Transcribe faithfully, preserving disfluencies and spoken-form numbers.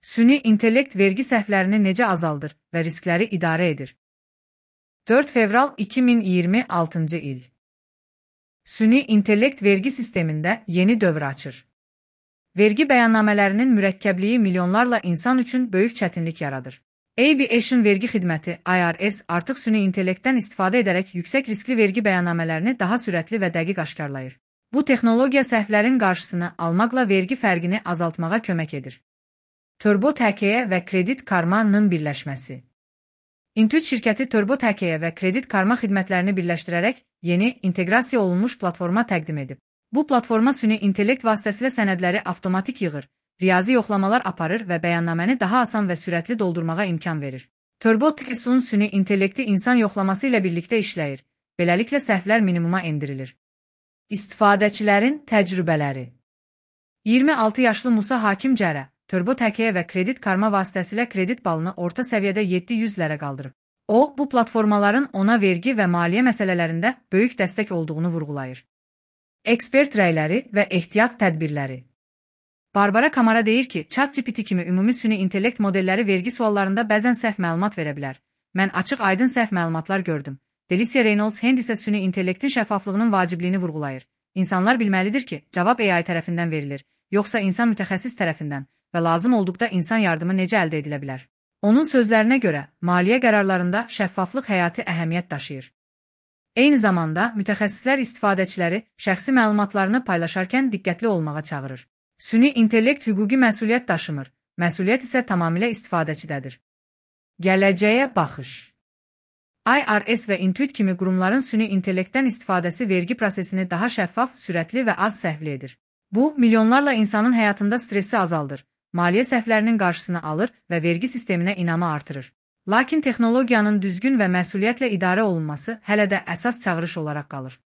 Süni intellekt vergi səhvlərini necə azaldır və riskləri idarə edir? dörd fevral iki min iyirmi altıncı il. Süni intellekt vergi sistemində yeni dövr açır. Vergi bəyannamələrinin mürəkkəbliyi milyonlarla insan üçün böyük çətinlik yaradır. Aviation vergi xidməti I R S artıq süni intellektdən istifadə edərək yüksək riskli vergi bəyannamələrini daha sürətli və dəqiq aşkarlayır. Bu texnologiya səhvlərin qarşısını almaqla vergi fərqini azaltmağa kömək edir. TurboTakeya və Kredit Karma-nın birləşməsi. Intuit şirkəti TurboTakeya və Kredit Karma xidmətlərini birləşdirərək yeni, inteqrasiya olunmuş platforma təqdim edib. Bu platforma süni intellekt vasitəsilə sənədləri avtomatik yığır, riyazi yoxlamalar aparır və bəyannaməni daha asan və sürətli doldurmağa imkan verir. TurboTakeya süni intellekti insan yoxlaması ilə birlikdə işləyir, beləliklə səhvlər minimuma endirilir. İstifadəçilərin təcrübələri. iyirmi altı yaşlı Musa Hakim Cərə TurboTakeya və Kredit Karma vasitəsilə kredit balını orta səviyyədə yeddi yüzlərə qaldırıb. O, bu platformaların ona vergi və maliyyə məsələlərində böyük dəstək olduğunu vurğulayır. Ekspert rəyləri və ehtiyat tədbirləri. Barbara Kamara deyir ki, ChatGPT kimi ümumi süni intellekt modelləri vergi suallarında bəzən səhv məlumat verə bilər. Mən açıq aydın səhv məlumatlar gördüm. Delicia Reynolds Hend isə süni intellektin şəffaflığının vacibliyini vurğulayır. İnsanlar bilməlidir ki, cavab A I tərəfindən verilir, yoxsa insan mütəxəssis tərəfindən və lazım olduqda insan yardımı necə əldə edilə bilər. Onun sözlərinə görə, maliyyə qərarlarında şəffaflıq həyati əhəmiyyət daşıyır. Eyni zamanda, mütəxəssislər istifadəçiləri şəxsi məlumatlarını paylaşarkən diqqətli olmağa çağırır. Süni intellekt hüquqi məsuliyyət daşımır, məsuliyyət isə tamamilə istifadəçidədir. Gələcəyə baxış. I R S və Intuit kimi qurumların süni intellektdən istifadəsi vergi prosesini daha şəffaf, sürətli və az səhvli edir. Bu, milyonlarla insanın həyatında stressi azaldır, maliyyə səhvlərinin qarşısını alır və vergi sisteminə inamı artırır. Lakin texnologiyanın düzgün və məsuliyyətlə idarə olunması hələ də əsas çağırış olaraq qalır.